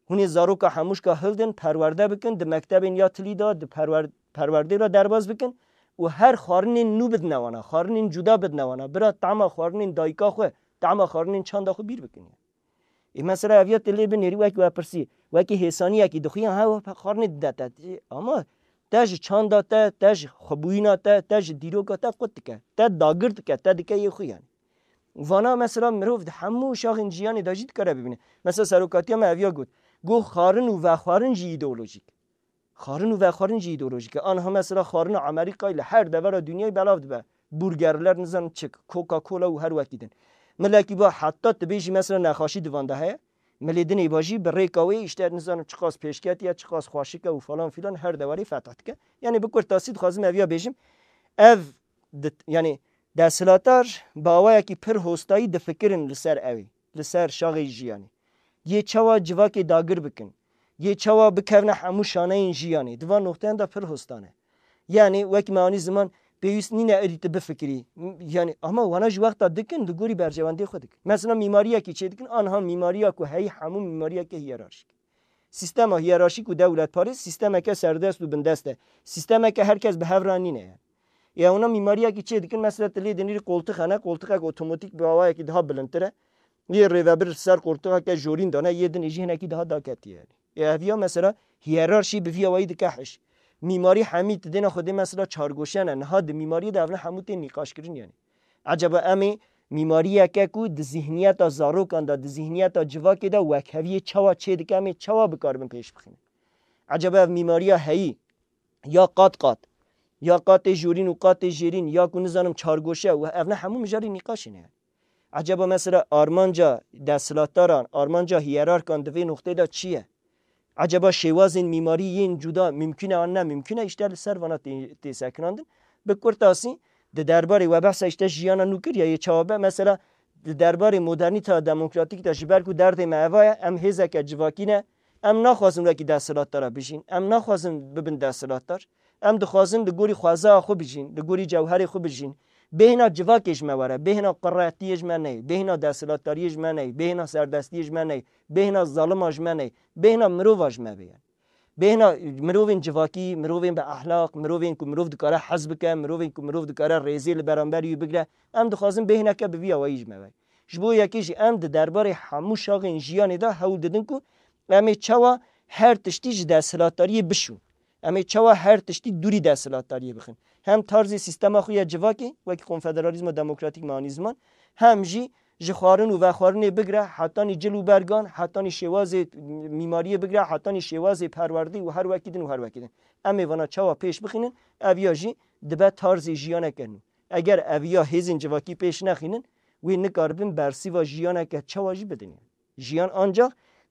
Hûn ê zaroka hemûşka hildin, perwerde bikin, di mektebên ya tilî de, di perwer-, perwerdê re derbas bikin û her xwarinên nû bidine wana, xwarinên cuda bidine wana. Bira tema xwarinên dayika xwe, tema xwarinên çanda xwe bîr bikin. Ê mesela ev ya tu lê binêrî wek we pirsî, wekî hêsaniyekî dixuyan, ha, we xwarinê dide te. Ê, ama te ji çanda te, te ji xwebûyîna te, te ji dîroka te qut dike. Te dagir dike, te dike yê xwe yani. Vana mesela mirov di hemû şaxên jiyanê de jî dikare bibîne. Mesela serokatiya me ev ya got. Got xwarin û vexwarin jî îdeolojîk. Xwarin û vexwarin jî îdeolojîk e. Anha mesela xwarina Amerîkayê li her devera dinyayê belav dibe. Burgerler, nizanim çik, Coca-Cola û her wekî din. Milekî ba heta tu bêjî mesela nexaşî di van de heye. Milê dinê ba jî bi rêka wê îşte nizanim çiqas pêşketî ye, çiqas xweşik e û falan filan her dewarê fetih dike. Yani bi kurtasî dixwazim ev ya bêjim. Ev di, yani desthilatdar bi awayekî pir hostayî difikirin li ser ew ê, li ser şaxê jiyanê. Yê çawa civakê dagir bikin, yê çawa bikevne hemû şaneyên jiyanê. Di van noqteyan de pir hosta ne. Yani wekî me anî ziman pêwîst nîne êdî tu bifikirî. M-, yani ama wana ji wexta dikin, li gorî berjewendiyê xwe dikin. Mesela mîmariyekî çê dikin, anha mîmariya ku heyî hemû mîmariyeke hiyerarşîk. Sîstema hiyerarşîk û dewletparêz sîstemeke serdest û bindest e. Sîstemeke her kes bi hev re nîne ye. Ê ewna mîmariyekî çê dikin, mesela tu lê dinêrî qoltix hene, qoltixek otomatîk bi awayekî daha bilindtir e. Yê rêvebir ser qoltixeke jorîn dane, yê dinê jî hinekî daha daketî ye. Ê ev ya mesela hiyerarşî bi vî awayî dike hiş. Mîmarî hemî tu dêna xwedê mesela çargoşe ne. Niha di mîmariyê de evne hemû tên nîqaşkirin yani. Ecaba em ê mîmariyeke ku di zihniyeta zarokan de, di zihniyeta civakê de wekheviyê çawa çê dike, em ê çawa bikaribin pêş bixînin? Ecaba ev mîmariya heyî, ya qat qat, ya qatê jorîn û qatê jêrîn, ya ku nizanim çargoşe û evne hemû mijarê nîqaşê ne. Ecaba mesela armanca desthilatdaran, armanca hiyerarkan di vê noqtê de çi ye? Ecaba şêwazên mîmarî yên cuda mimkun e an ne mimkun e, îşte li ser vana tê, tê sekinandin. Bi kurtasî, di derbarê we behsa îşte jiyana nû kir ya yê çawa be, mesela di derbarê modernîteya demokratîk de ji ber ku derdê me eva ye, em hêzeke civakî ne, em naxwazin wekî desthilatdara bijîn, em naxwazin bibin desthilatdar. Em dixwazin li gorî xwezaya xwe bijîn, li gorî cewherê xwe bijîn. Bêhna civakê ji me were, bêhna quretiyê ji me neyê, bêhna desthilatdariyê ji me neyê, bêhna serdestiyê ji me neyê, bêhna zalima ji me neyê, bêhna mirova ji me bê. Bêhna mirovên civakî, mirovên bi ehlaq, mirovên ku mirov dikare hez bike, mirovên ku mirov dikare rêzê li beramberî wî bigire. Em dixwazin bêhneke bi vî awayî ji me ve. Ji bo yekê jî em di derbarê hemû şaxên jiyanê de hewl didin ku em ê çawa her tiştî ji desthilatdariyê bişûn. Em ê çawa her tiştî dûrî desthilatdariyê bixin. Hem tarzê sîstema xwe ya civakê, wekî konfederalîzma demokratîk me anî ziman, hem jî ji xwarin û vexwarinê bigire, hetanî cil û bergan, hetanî şêwazê mîmariyê bigire, hetanî şêwazê perwerdê û her wekî din û her wekî din. Em ê vana çawa pêş bixînin, ev ya jî dibe tarzê jiyaneke nû. Eger ev ya hêzên civakî pêş nexînin, wê nikaribin bersîva jiyaneke çawa jî bidin. Jiyan ancax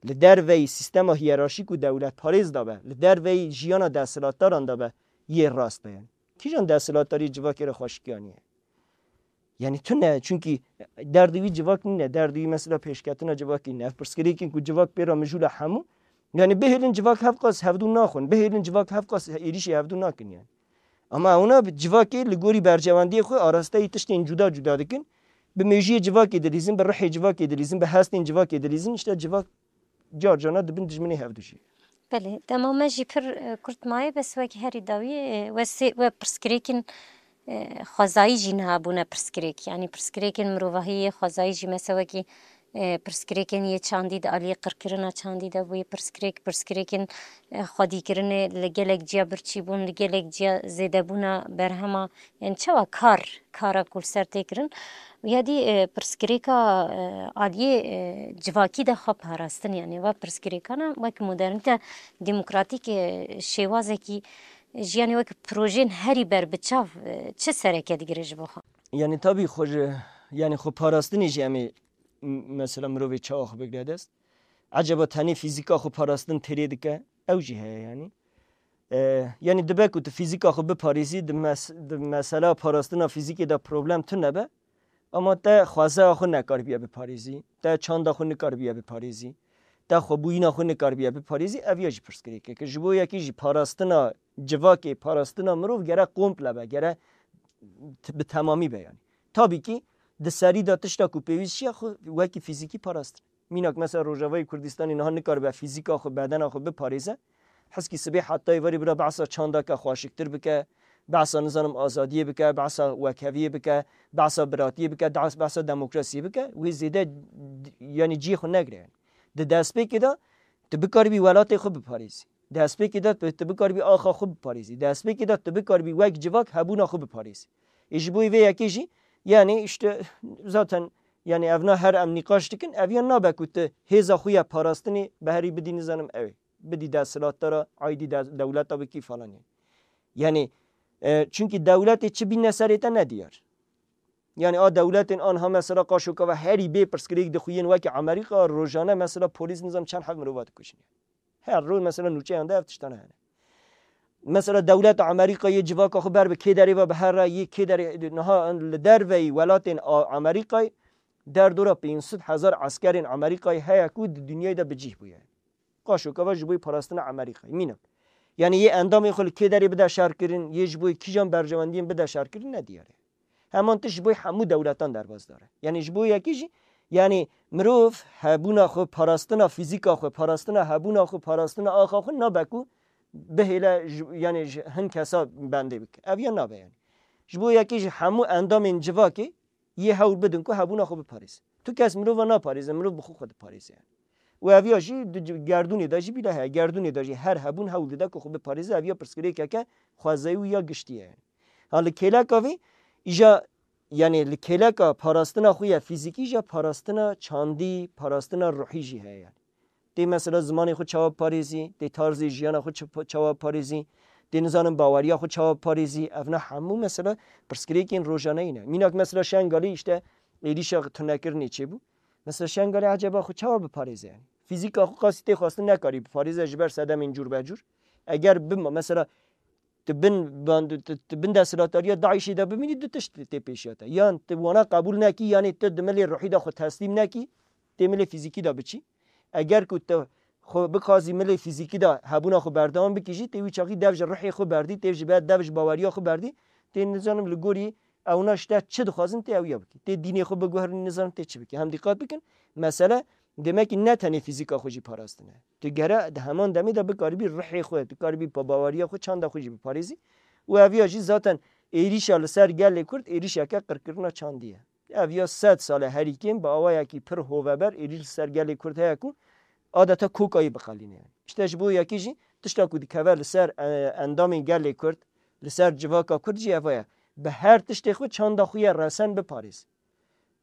li derveyî sîstema hiyerarşîk û dewletparêz de be, li derveyî jiyana desthilatdaran de be, yê rast be. Yani. Kîjan desthilatdarî civakê re xweşikiya niye? Yani tune, çunkî derdê wî civak nîne, derdê wî mesela pêşketina civakî nîne. Ev pirsgirêkên ku civak pê re mijûl e hemû. Yani bihêlin civak hevqas hevdû naxwin, bihêlin civak hevqas êrîşî hevdû nakin yani. Ama ewna bi civakê li gorî bercewendiyê xwe arasteyî tiştên cuda cuda dikin. Bi mêjiyê civakê dilîzin, bi rihê civakê dilîzin, bi hestên civakê dilîzin, işte civak car carna dibin dijminê hevdû jî. Belê, dema me jî pir, e, kurt maye, bes wekî herî dawî, e, we sê, we pirsgirêkin, e, xwezayî jî niha bûne pirsgirêk. Yanî pirsgirêkin mirovahiyê xwezayî jî mese wekî E, pirsgirêkên yê çandî di aliyê qirkirina çandî de bûye, pirsgirêk, pirsgirêkên, e, xwedîkirinê li gelek ciya birçî bûn, li gelek ciya zêdebûna berhema, yani çawa kar, kara ku li ser tê kirin. Û ya dî, e, pirsgirêka, e, aliyê, e, civakî de xwe parastin, yani va pirsgirêkana wek modernîte, demokratîk, e, şêwazekî jiyanê wek projeyên herî berbiçav, e, çi sereke digire ji bo xwe? Yani tabî xwe ji, yani xwe parastinê jî em ê m-, mesela mirovê çawa xwe bigre dest? Eceba tenê fîzîka xwe parastin têrê dike? Ew jî heye yani. E, yani dibe ku tu fîzîka xwe biparêzî, di mes-, di mesela parastina fîzîkê de problem tune be, ama te xwezaya xwe nekaribiye biparêzî, te çanda xwe nikaribiye biparêzî, te xwebûyîna xwe nikaribiye biparêzî, ev ya jî pirsgirêkek e. Ji bo yekî jî parastina civakê, parastina mirov gere komple be, gere t-, bi temamî be yani. Tabî kî di serî de tişta ku pêwîst çi ye, xwe wekî fîzîkî parastin. Mînak mesela Rojavayê Kurdistanê niha nikaribe fîzîka xwe, bedena xwe biparêze. Heskî sibê hetayê verî bira behsa çandaka xweşiktir bike, behsa nizanim azadiyê bike, behsa wekheviyê bike, behsa biratiyê bike, dehs-, behsa demokrasiyê bike, wê zêde d-, yani cihê xwe negire yani. Di destpêkê de tu bikaribî welatê xwe biparêzî. Destpêkê de tu, tu bikaribî axa xwe biparêzî. Destpêkê de tu bikaribî wek civak hebûna xwe biparêzî. Ê ji bo vê yekê jî, yani işte zaten yani evna her em nîqaş dikin, ev ya nabe ku tu hêza xwe ya parastinê beherî bidî nizanim ew ê. Bidî desthilatdara, aydî de-, dewleta bikî falan yani. Yani, e, çünkü dewletê çi bîne serê te ne diyar. Yani a dewletên anha mesela qaşoka ve herî bê pirsgirêk dixuyin wekî Amerîka, rojane mesela polîs nizam çend heb mirova dikujin. Her roj mesela nûçeyan de ev tiştane hene. Mesela dewleta Amerîka yê civaka xwe ber bi kê derê ve bihere, yê kê derê niha li derveyî welatên A-, Amerîkayê derdora pênc sed hezar eskerên Amerîkayê heye ku di dinyayê de bi cih bûye. Qaşoka ve ji bo parastina Amerîkayê. Mînak. Yani yê endamên xwe li kê derê bide şerkirin, yê ji bo kîjan berjewendiyên bide şerkirin ne diyar e. Heman tişt ji bo hemû dewletan derbasdar e. Yani ji bo yekî jî, yani mirov hebûna xwe, parastina fîzîka xwe, parastina hebûna xwe, parastina axa xwe nabe ku bihêle ji, yani ji hin kesa bendê bike. Ev ya nabe yani. Ji bo yekî jî hemû endamên civakê yê hewl bidin ku hebûna xwe biparêzin. Tu kes mirova naparêze, mirov bi xwe xwe diparêze yani. Û ev ya jî di c-, gerdûnê de jî bîle heye. Gerdûnê de jî her hebûn hewl dide ku xwe biparêze, ev ya pirsgirêkeke xwezayî û ya giştî ye yani. Ha li kêleka vê, îja, yani li kêleka parastina xwe ya fîzîkî, îja parastina çandî, parastina ruhî jî heye yani. Tê mesela zimanê xwe çawa biparêzî, tê tarzê jiyana xwe çi-, çawa biparêzî, tê nizanim baweriya xwe çawa biparêzî, evna hemû mesela pirsgirêkên rojaneyî ne. Mînak mesela Şengalê işte êrîşa tunekirinê çêbû. Mesela Şengalê eceba xwe çawa biparêze yani? Fîzîka xwe qasî tê xwestin nekarî biparêze ji ber sedemên cûr be cûr. Eger bima mesela tu bin band-, tu, tu bin desthilatdariya DAIŞê de bimînî, du tişt tê pêşiya te. Yan tu wana qebûl nekî, yanî tu di milê ruhî de xwe teslîm nekî, tê milê fîzîkî de biçî. Eger ku tu xwe bixwazî milê fîzîkî de hebûna xwe berdewam bikî jî, tê wî çaxî dev ji ruhê xwe berdî, tê ji be-, dev ji baweriya xwe berdî, tê nizanim li gorî ewna ji te çi dixwazin tê ew ya bikî. Tê dînê xwe biguherînî nizanim tê çi bikî. Hem dîqat bikin, mesele demekî ne tenê fîzîka xwe jî parastin e. Tu gere di heman demê de bikaribî ruhê xwe, bikaribî pa-, baweriya xwe, çanda xwe jî biparêzî. Û ev ya jî zaten êrîşa li ser gelê Kurd êrîşeke qirkirina çandî ye. Ev ya sed sal e herî kêm bi awayekî pir hoveber êrîş li ser gelê Kurd heye ku adeta kokayî biqelîne yani. Îşte ji bo yekî jî tişta ku dikeve li ser, e, endamên gelê Kurd, li ser civaka Kurd jî ev e. Bi her tiştê xwe çanda xwe ye resen biparêz.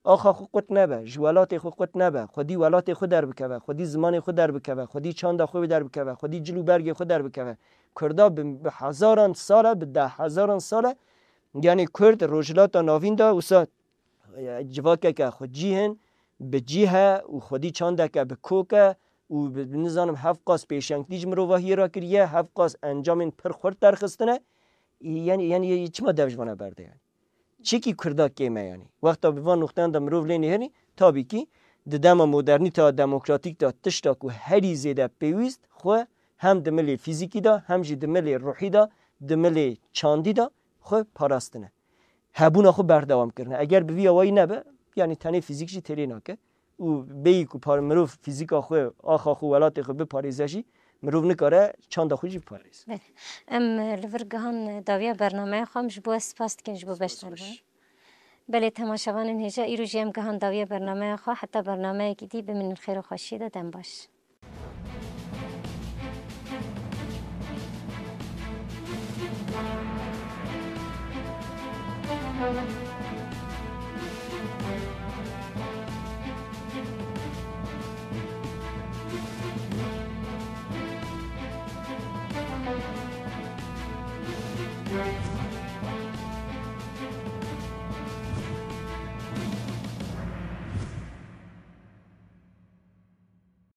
Axa xwe qut nebe, ji welatê xwe qut nebe, xwedî welatê xwe derbikeve, xwedî zimanê xwe derbikeve, xwedî çanda xwe derbikeve, xwedî cil û bergê xwe derbikeve. Kurda bi, bi hezaran sal e, bi deh hezaran sal e, yani Kurd Rojhilata Navîn de wisa, e, civakeke xwe cîh in, bi cîh e û xwedî çandeke bi kok e û bi, nizanim hevqas pêşengtî ji mirovahiyê re kiriye, hevqas encamên pir xurt derxistine. Yani, yani çima dev ji vana berde yani? Çikî Kurda kêm e yani? Wexta bi van nuqteyan de mirov lê nihêrî, tabî kî di dema modernîteya demokratîk de tişta ku herî zêde pêwîst xwe hem di milê fîzîkî de hem jî di milê ruhî de, di milê çandî de xwe parastine. Hebûna xwe berdewam kirine. Eger bi vî awayî nebe, yani tenê fîzîk jî têrê nake. Û bêyî ku par-, mirov fîzîka xwe, axa xwe, welatê xwe biparêze jî, mirov nikare çanda xwe jî biparêze. Belê. Em, e, li vir gihan, e, dawiya bernameya xwe, em ji bo ez spas dikin ji bo beşdarbûn. Belê temaşevanên hêja, îro jî em gihan dawiya bernameya xwe, heta bernameyekî dî bimînin xêr û xweşiyê de, dem baş.